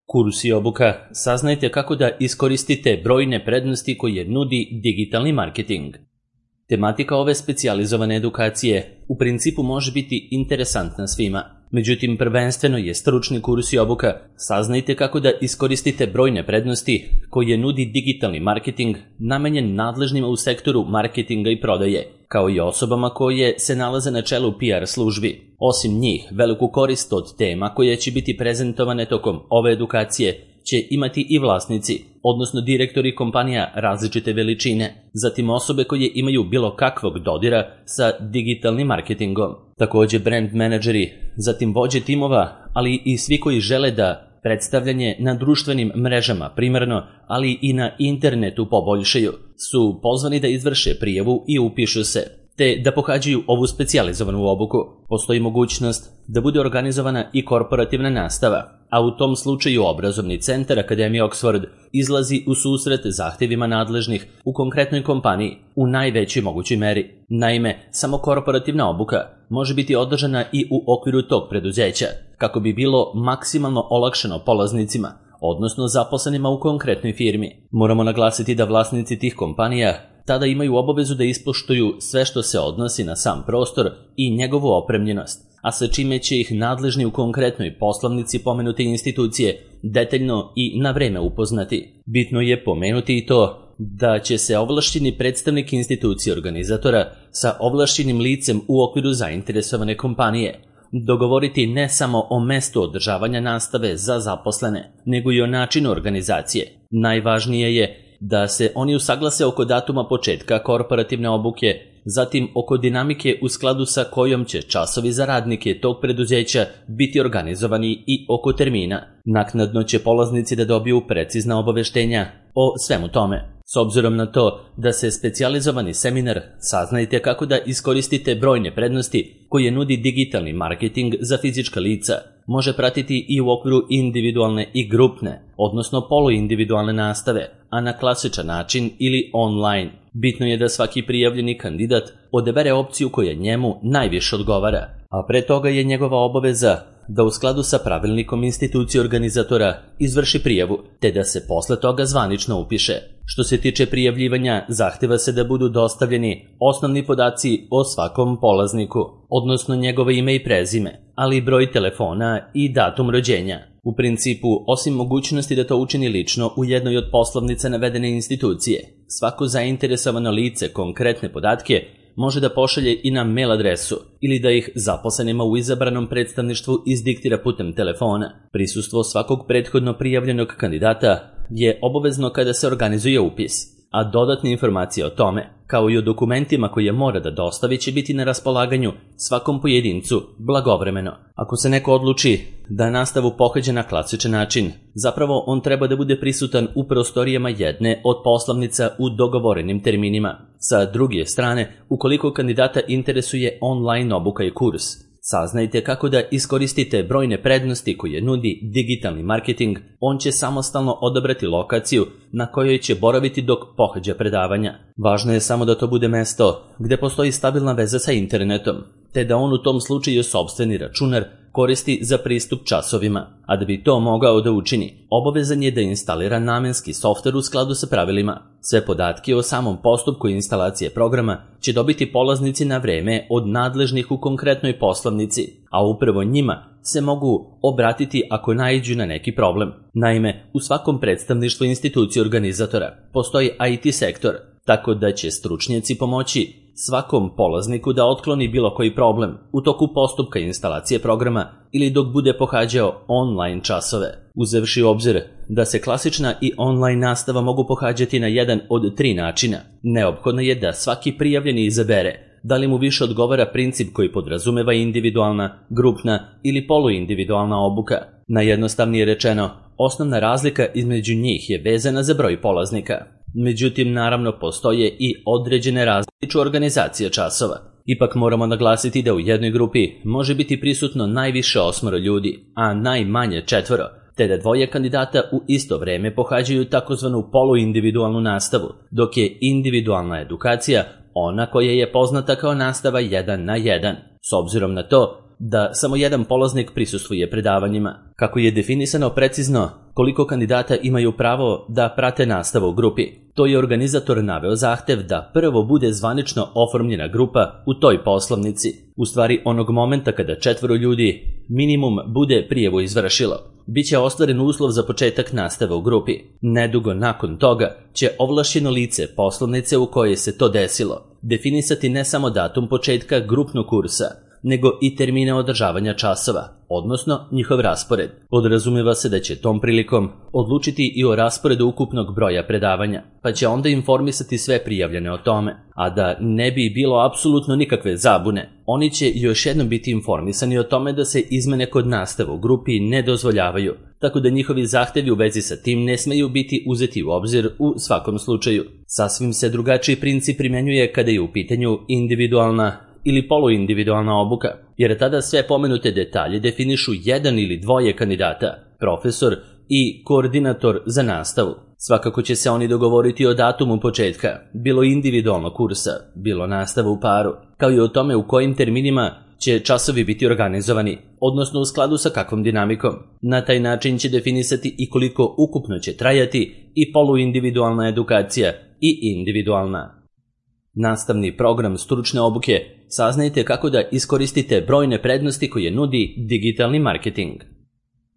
Kurs i obuka, saznajte kako da iskoristite brojne prednosti koje nudi digitalni marketing. Tematika ove specijalizovane edukacije u principu može biti interesantna svima, međutim prvenstveno je stručni kurs i obuka. Saznajte kako da iskoristite brojne prednosti koje nudi digitalni marketing namenjen nadležnima u sektoru marketinga i prodaje, kao i osobama koje se nalaze na čelu PR službi. Osim njih, veliku korist od tema koje će biti prezentovane tokom ove edukacije će imati i vlasnici, odnosno direktori kompanija različite veličine, zatim osobe koje imaju bilo kakvog dodira sa digitalnim marketingom, takođe brand menadžeri, zatim vođe timova, ali i svi koji žele da predstavljanje na društvenim mrežama primarno, ali i na internetu poboljšaju, su pozvani da izvrše prijavu i upišu se, te da pohađaju ovu specijalizovanu obuku. Postoji mogućnost da bude organizovana i korporativna nastava, a u tom slučaju obrazovni centar Akademije Oxford izlazi u susret zahtevima nadležnih u konkretnoj kompaniji u najvećoj mogućoj meri. Naime, samo korporativna obuka može biti održana i u okviru tog preduzeća, kako bi bilo maksimalno olakšano polaznicima, odnosno zaposlenima u konkretnoj firmi. Moramo naglasiti da vlasnici tih kompanija tada imaju obavezu da ispoštuju sve što se odnosi na sam prostor i njegovu opremljenost, a sa čime će ih nadležni u konkretnoj poslovnici pomenute institucije detaljno i na vreme upoznati. Bitno je pomenuti i to da će se ovlašćeni predstavnik institucije organizatora sa ovlašćenim licem u okviru zainteresovane kompanije dogovoriti ne samo o mestu održavanja nastave za zaposlene, nego i o načinu organizacije. Najvažnije je da se oni usaglase oko datuma početka korporativne obuke, zatim oko dinamike u skladu sa kojom će časovi za radnike tog preduzeća biti organizovani i oko termina. Naknadno će polaznici da dobiju precizna obaveštenja o svemu tome. S obzirom na to da se specijalizovani seminar Saznajte kako da iskoristite brojne prednosti koje nudi digitalni marketing za fizička lica, može pratiti i u okviru individualne i grupne, odnosno poluindividualne nastave, a na klasičan način ili online. Bitno je da svaki prijavljeni kandidat odabere opciju koja njemu najviše odgovara, a pre toga je njegova obaveza da u skladu sa pravilnikom institucije organizatora izvrši prijavu, te da se posle toga zvanično upiše. Što se tiče prijavljivanja, zahteva se da budu dostavljeni osnovni podaci o svakom polazniku, odnosno njegovo ime i prezime, ali i broj telefona i datum rođenja. U principu, osim mogućnosti da to učini lično u jednoj od poslovnica navedene institucije, svako zainteresovano lice konkretne podatke može da pošalje i na mail adresu ili da ih zaposlenima u izabranom predstavništvu izdiktira putem telefona. Prisustvo svakog prethodno prijavljenog kandidata je obavezno kada se organizuje upis, a dodatne informacije o tome, kao i o dokumentima koje mora da dostavi, će biti na raspolaganju svakom pojedincu blagovremeno. Ako se neko odluči da nastavu pohađa na klasičan način, zapravo on treba da bude prisutan u prostorijama jedne od poslovnica u dogovorenim terminima. Sa druge strane, ukoliko kandidata interesuje online obuka i kurs, saznajte kako da iskoristite brojne prednosti koje nudi digitalni marketing. On će samostalno odabrati lokaciju na kojoj će boraviti dok pohađa predavanja. Važno je samo da to bude mesto gde postoji stabilna veza sa internetom, te da on u tom slučaju sopstveni računar koristi za pristup časovima, a da bi to mogao da učini, obavezan je da instalira namenski softver u skladu sa pravilima. Sve podatke o samom postupku instalacije programa će dobiti polaznici na vreme od nadležnih u konkretnoj poslovnici, a upravo njima se mogu obratiti ako naiđu na neki problem. Naime, u svakom predstavništvu institucije organizatora postoji IT sektor, tako da će stručnjaci pomoći svakom polazniku da otkloni bilo koji problem u toku postupka instalacije programa ili dok bude pohađao online časove. Uzevši u obzir da se klasična i online nastava mogu pohađati na jedan od 3 načina, neophodno je da svaki prijavljeni izabere da li mu više odgovara princip koji podrazumeva individualna, grupna ili poluindividualna obuka. Najjednostavnije rečeno, osnovna razlika između njih je vezana za broj polaznika. Međutim, naravno, postoje i određene različite organizacije časova. Ipak moramo naglasiti da u jednoj grupi može biti prisutno najviše 8 ljudi, a najmanje 4, te da 2 kandidata u isto vreme pohađaju takozvanu poluindividualnu nastavu, dok je individualna edukacija ona koja je poznata kao nastava 1 na 1. S obzirom na to da samo jedan polaznik prisustvuje predavanjima. Kako je definisano precizno koliko kandidata imaju pravo da prate nastavu u grupi, to je organizator naveo zahtev da prvo bude zvanično oformljena grupa u toj poslovnici, u stvari onog momenta kada 4 ljudi minimum bude prijavu izvršilo. Biće ostvaren uslov za početak nastave u grupi. Nedugo nakon toga će ovlašćeno lice poslovnice u kojoj se to desilo definisati ne samo datum početka grupnog kursa, nego i termine održavanja časova, odnosno njihov raspored. Podrazumeva se da će tom prilikom odlučiti i o rasporedu ukupnog broja predavanja, pa će onda informisati sve prijavljene o tome. A da ne bi bilo apsolutno nikakve zabune, oni će još jednom biti informisani o tome da se izmene kod nastave u grupi ne dozvoljavaju, tako da njihovi zahtevi u vezi sa tim ne smeju biti uzeti u obzir u svakom slučaju. Sasvim se drugačiji princip primjenjuje kada je u pitanju individualna ili poluindividualna obuka, jer tada sve pomenute detalje definišu jedan ili dvoje kandidata, profesor i koordinator za nastavu. Svakako će se oni dogovoriti o datumu početka, bilo individualnog kursa, bilo nastava u paru, kao i o tome u kojim terminima će časovi biti organizovani, odnosno u skladu sa kakvom dinamikom. Na taj način će definisati i koliko ukupno će trajati i poluindividualna edukacija i individualna. Nastavni program stručne obuke. Saznajte kako da iskoristite brojne prednosti koje nudi digitalni marketing.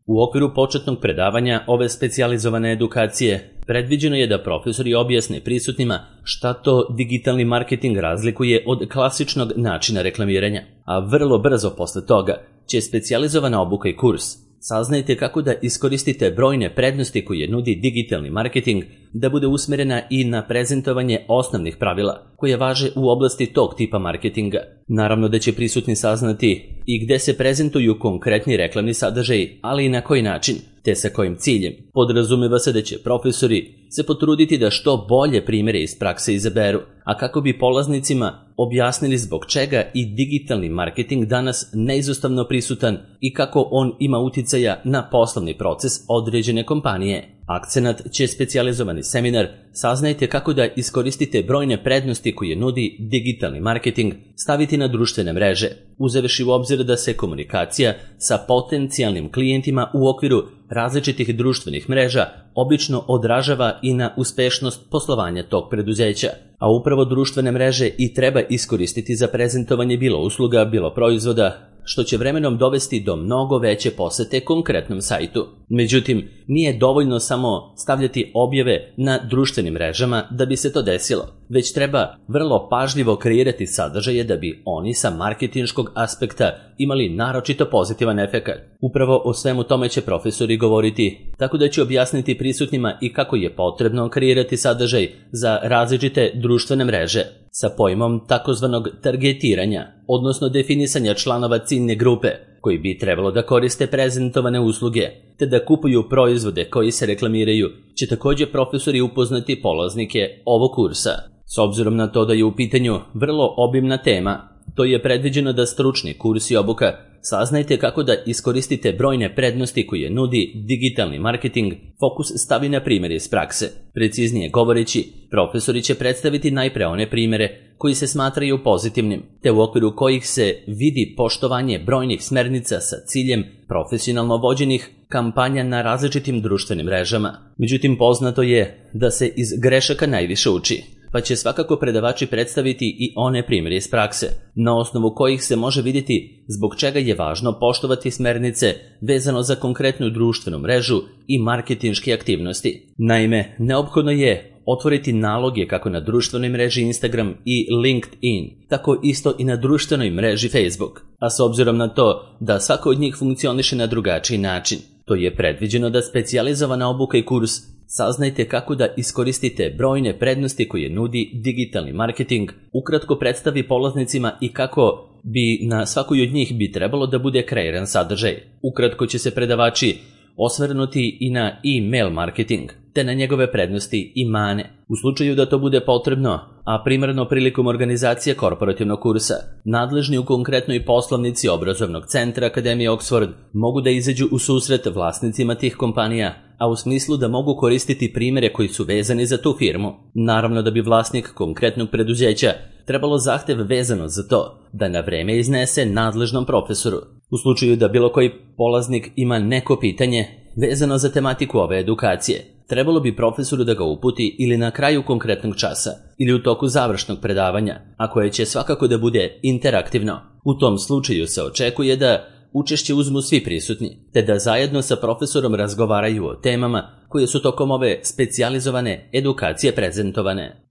U okviru početnog predavanja ove specijalizovane edukacije predviđeno je da profesori objasne prisutnima šta to digitalni marketing razlikuje od klasičnog načina reklamiranja, a vrlo brzo posle toga će specijalizovana obuka i kurs Saznajte kako da iskoristite brojne prednosti koje nudi digitalni marketing da bude usmerena i na prezentovanje osnovnih pravila koje važe u oblasti tog tipa marketinga. Naravno da će prisutni saznati i gde se prezentuju konkretni reklamni sadržaji, ali i na koji način, te sa kojim ciljem. Podrazumeva se da će profesori se potruditi da što bolje primjere iz prakse izaberu, a kako bi polaznicima objasnili zbog čega i digitalni marketing danas neizostavno prisutan i kako on ima uticaja na poslovni proces određene kompanije. Akcenat će specijalizovani seminar Saznajte kako da iskoristite brojne prednosti koje nudi digitalni marketing staviti na društvene mreže, uzevši u obzir da se komunikacija sa potencijalnim klijentima u okviru različitih društvenih mreža obično odražava i na uspešnost poslovanja tog preduzeća, a upravo društvene mreže i treba iskoristiti za prezentovanje bilo usluga, bilo proizvoda, što će vremenom dovesti do mnogo veće posete konkretnom sajtu. Međutim, nije dovoljno samo stavljati objave na društvenim mrežama da bi se to desilo, već treba vrlo pažljivo kreirati sadržaje da bi oni sa marketinškog aspekta imali naročito pozitivan efekat. Upravo o svemu tome će profesori govoriti, tako da će objasniti prisutnima i kako je potrebno kreirati sadržaj za različite društvene mreže sa pojmom takozvanog targetiranja, odnosno definisanja članova ciljne grupe koji bi trebalo da koriste prezentovane usluge, te da kupuju proizvode koji se reklamiraju, će također profesori upoznati polaznike ovog kursa. S obzirom na to da je u pitanju vrlo obimna tema, to je predviđeno da stručni kurs i obuka Saznajte kako da iskoristite brojne prednosti koje nudi digitalni marketing, fokus stavi na primjere iz prakse. Preciznije govoreći, profesori će predstaviti najpre one primjere koji se smatraju pozitivnim, te u okviru kojih se vidi poštovanje brojnih smernica sa ciljem profesionalno vođenih kampanja na različitim društvenim mrežama. Međutim, poznato je da se iz grešaka najviše uči, pa će svakako predavači predstaviti i one primjere iz prakse, na osnovu kojih se može vidjeti zbog čega je važno poštovati smernice vezano za konkretnu društvenu mrežu i marketinške aktivnosti. Naime, neophodno je otvoriti naloge kako na društvenoj mreži Instagram i LinkedIn, tako isto i na društvenoj mreži Facebook, a s obzirom na to da svako od njih funkcioniše na drugačiji način, to je predviđeno da specijalizovana obuka i kurs Saznajte kako da iskoristite brojne prednosti koje nudi digitalni marketing, ukratko predstavi polaznicima i kako bi na svakoj od njih bi trebalo da bude kreiran sadržaj. Ukratko će se predavači osvrnuti i na e-mail marketing, te na njegove prednosti i mane. U slučaju da to bude potrebno, a primarno prilikom organizacije korporativnog kursa, nadležni u konkretnoj poslovnici obrazovnog centra Akademije Oxford mogu da izađu u susret vlasnicima tih kompanija, a u smislu da mogu koristiti primjere koji su vezani za tu firmu. Naravno da bi vlasnik konkretnog preduzeća trebalo zahtev vezano za to da na vreme iznese nadležnom profesoru. U slučaju da bilo koji polaznik ima neko pitanje vezano za tematiku ove edukacije, trebalo bi profesoru da ga uputi ili na kraju konkretnog časa ili u toku završnog predavanja, a koje će svakako da bude interaktivno. U tom slučaju se očekuje da učešće uzmu svi prisutni, te da zajedno sa profesorom razgovaraju o temama koje su tokom ove specijalizovane edukacije prezentovane.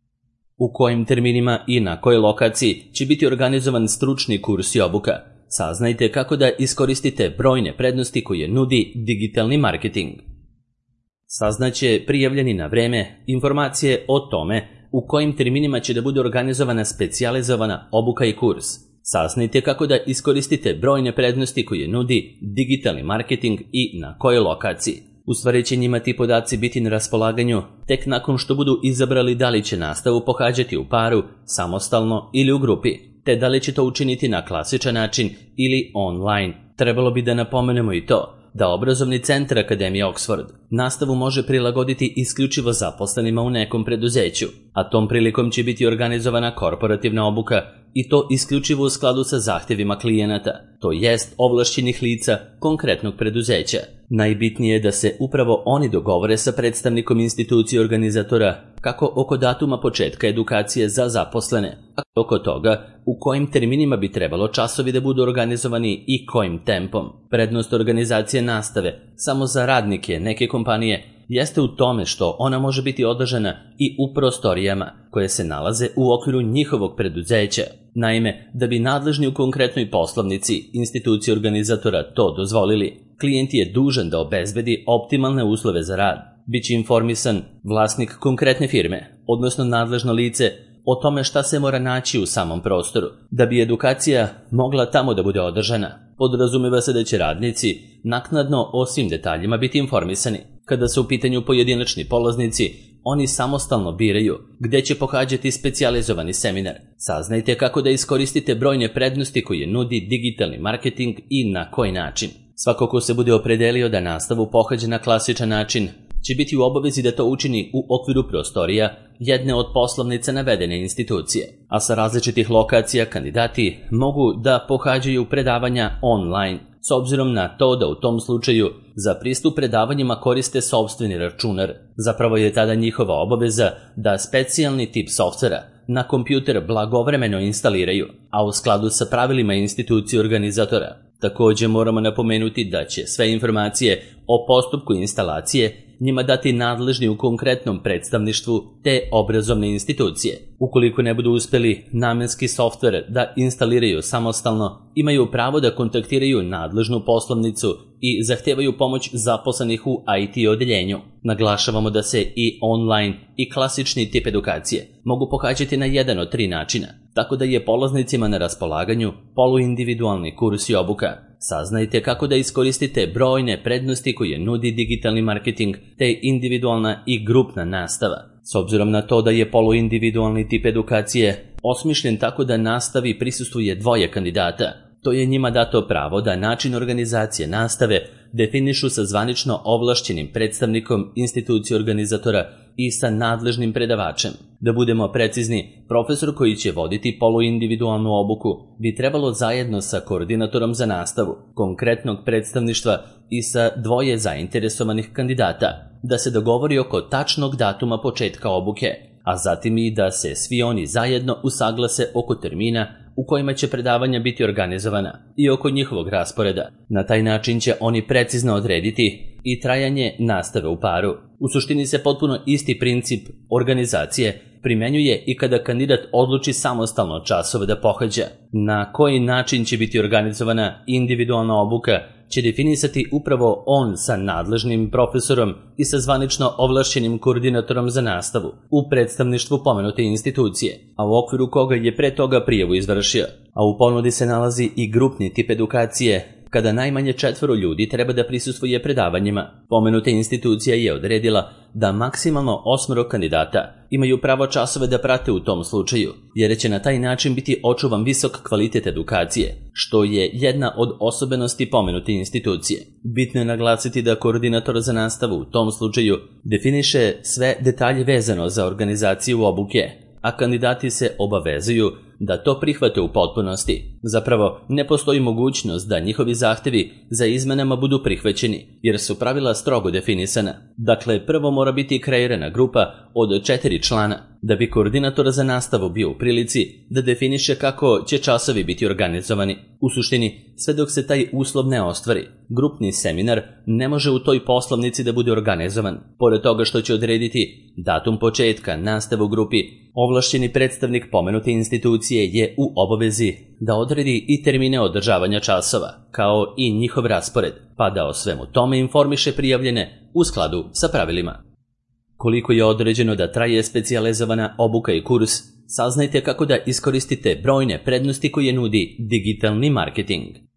U kojim terminima i na kojoj lokaciji će biti organizovan stručni kurs i obuka? Saznajte kako da iskoristite brojne prednosti koje nudi digitalni marketing. Saznaće prijavljeni na vreme informacije o tome u kojim terminima će da bude organizovana specijalizovana obuka i kurs. Saznajte kako da iskoristite brojne prednosti koje nudi digitalni marketing i na kojoj lokaciji. U stvari će njima ti podaci biti na raspolaganju tek nakon što budu izabrali da li će nastavu pohađati u paru, samostalno ili u grupi, te da li će to učiniti na klasičan način ili online. Trebalo bi da napomenemo i to da obrazovni centar Akademije Oxford nastavu može prilagoditi isključivo zaposlenima u nekom preduzeću, a tom prilikom će biti organizovana korporativna obuka i to isključivo u skladu sa zahtjevima klijenata, to jest ovlašćenih lica konkretnog preduzeća. Najbitnije je da se upravo oni dogovore sa predstavnikom institucije organizatora kako oko datuma početka edukacije za zaposlene, a oko toga u kojim terminima bi trebalo časovi da budu organizovani i kojim tempom. Prednost organizacije nastave samo za radnike neke kompanije jeste u tome što ona može biti održana i u prostorijama koje se nalaze u okviru njihovog preduzeća. Naime, da bi nadležni u konkretnoj poslovnici institucije organizatora to dozvolili, klijent je dužan da obezbedi optimalne uslove za rad. Biće informisan vlasnik konkretne firme, odnosno nadležno lice, o tome šta se mora naći u samom prostoru, da bi edukacija mogla tamo da bude održana. Podrazumeva se da će radnici naknadno o svim detaljima biti informisani. Kada su u pitanju pojedinačni polaznici, oni samostalno biraju gde će pohađati specijalizovani seminar. Saznajte kako da iskoristite brojne prednosti koje nudi digitalni marketing i na koji način. Svako ko se bude opredelio da nastavu pohađa na klasičan način, će biti u obavezi da to učini u okviru prostorija jedne od poslovnica navedene institucije, a sa različitih lokacija kandidati mogu da pohađaju predavanja online, s obzirom na to da u tom slučaju za pristup predavanjima koriste sopstveni računar. Zapravo je tada njihova obaveza da specijalni tip softvera na kompjuter blagovremeno instaliraju, a u skladu sa pravilima institucije organizatora. Također moramo napomenuti da će sve informacije o postupku instalacije njima dati nadležni u konkretnom predstavništvu te obrazovne institucije. Ukoliko ne budu uspjeli namenski softver da instaliraju samostalno, imaju pravo da kontaktiraju nadležnu poslovnicu i zahtevaju pomoć zaposlenih u IT odeljenju. Naglašavamo da se i online i klasični tip edukacije mogu pohađati na jedan od 3 načina, tako da je polaznicima na raspolaganju poluindividualni kurs i obuka. Saznajte kako da iskoristite brojne prednosti koje nudi digitalni marketing te individualna i grupna nastava. S obzirom na to da je poluindividualni tip edukacije osmišljen tako da nastavi prisustvuje 2 kandidata, to je njima dato pravo da način organizacije nastave definišu sa zvanično ovlašćenim predstavnikom institucije organizatora i sa nadležnim predavačem. Da budemo precizni, profesor koji će voditi poluindividualnu obuku bi trebalo zajedno sa koordinatorom za nastavu, konkretnog predstavništva i sa 2 zainteresovanih kandidata da se dogovori oko tačnog datuma početka obuke, a zatim i da se svi oni zajedno usaglase oko termina u kojima će predavanja biti organizovana i oko njihovog rasporeda. Na taj način će oni precizno odrediti i trajanje nastave u paru. U suštini se potpuno isti princip organizacije primenjuje i kada kandidat odluči samostalno časove da pohađa. Na koji način će biti organizovana individualna obuka će definisati upravo on sa nadležnim profesorom i sa zvanično ovlašćenim koordinatorom za nastavu u predstavništvu pomenute institucije, a u okviru koga je pre toga prijavu izvršio. A u ponudi se nalazi i grupni tip edukacije, kada najmanje 4 ljudi treba da prisustvuje predavanjima. Pomenuta institucija je odredila da maksimalno 8 kandidata imaju pravo časove da prate u tom slučaju, jer će na taj način biti očuvan visok kvalitet edukacije, što je jedna od osobenosti pomenute institucije. Bitno je naglasiti da koordinator za nastavu u tom slučaju definiše sve detalje vezano za organizaciju obuke, a kandidati se obavezuju da to prihvate u potpunosti. Zapravo, ne postoji mogućnost da njihovi zahtevi za izmenama budu prihvaćeni, jer su pravila strogo definisana. Dakle, prvo mora biti kreirana grupa od 4 člana, da bi koordinator za nastavu bio u prilici da definiše kako će časovi biti organizovani. U suštini, sve dok se taj uslov ne ostvari, grupni seminar ne može u toj poslovnici da bude organizovan. Pored toga što će odrediti datum početka nastave u grupi, ovlašćeni predstavnik pomenute institucije je u obavezi da odredi i termine održavanja časova, kao i njihov raspored, pa da o svemu tome informiše prijavljene u skladu sa pravilima. Koliko je određeno da traje specijalizovana obuka i kurs, saznajte kako da iskoristite brojne prednosti koje nudi digitalni marketing.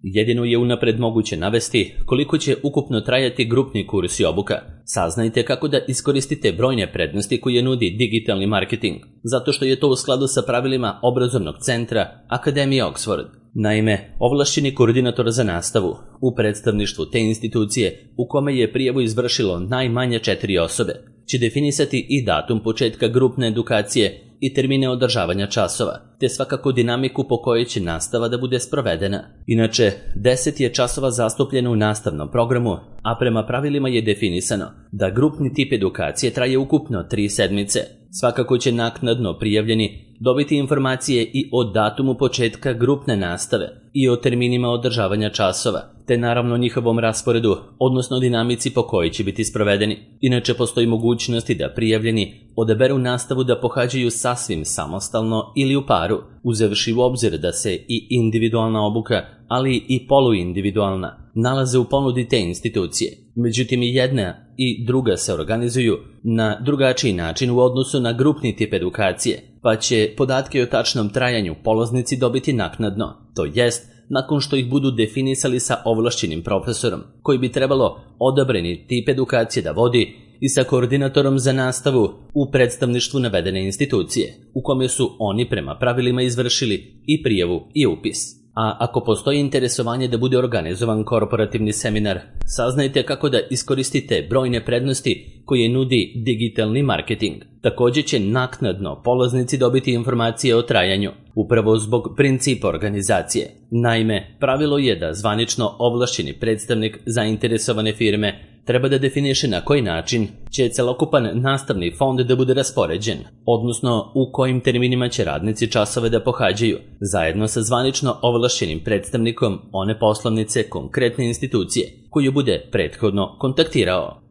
Jedino je unapred moguće navesti koliko će ukupno trajati grupni kurs i obuka. Saznajte kako da iskoristite brojne prednosti koje nudi digitalni marketing, zato što je to u skladu sa pravilima obrazovnog centra Akademije Oxford. Naime, ovlašćeni koordinator za nastavu u predstavništvu te institucije u kome je prijavu izvršilo najmanje 4 osobe će definisati i datum početka grupne edukacije i termine održavanja časova, te svakako dinamiku po kojoj će nastava da bude sprovedena. Inače, 10 je časova zastupljeno u nastavnom programu, a prema pravilima je definisano da grupni tip edukacije traje ukupno 3 sedmice. Svakako će naknadno prijavljeni dobiti informacije i o datumu početka grupne nastave i o terminima održavanja časova, te naravno njihovom rasporedu, odnosno dinamici po kojoj će biti sprovedeni. Inače, postoji mogućnosti da prijavljeni odaberu nastavu da pohađaju sasvim samostalno ili u paru, uzevši u obzir da se i individualna obuka, ali i poluindividualna, nalaze u ponudi te institucije. Međutim, i jedna i druga se organizuju na drugačiji način u odnosu na grupni tip edukacije, pa će podatke o tačnom trajanju polaznici dobiti naknadno, to jest nakon što ih budu definisali sa ovlašćenim profesorom, koji bi trebalo odabrani tip edukacije da vodi, i sa koordinatorom za nastavu u predstavništvu navedene institucije, u kome su oni prema pravilima izvršili i prijavu i upis. A ako postoji interesovanje da bude organizovan korporativni seminar, saznajte kako da iskoristite brojne prednosti koje nudi digitalni marketing. Također će naknadno polaznici dobiti informacije o trajanju, upravo zbog principa organizacije. Naime, pravilo je da zvanično ovlašćeni predstavnik zainteresovane firme treba da definiše na koji način će celokupan nastavni fond da bude raspoređen, odnosno u kojim terminima će radnici časove da pohađaju, zajedno sa zvanično ovlašćenim predstavnikom one poslovnice konkretne institucije koju bude prethodno kontaktirao.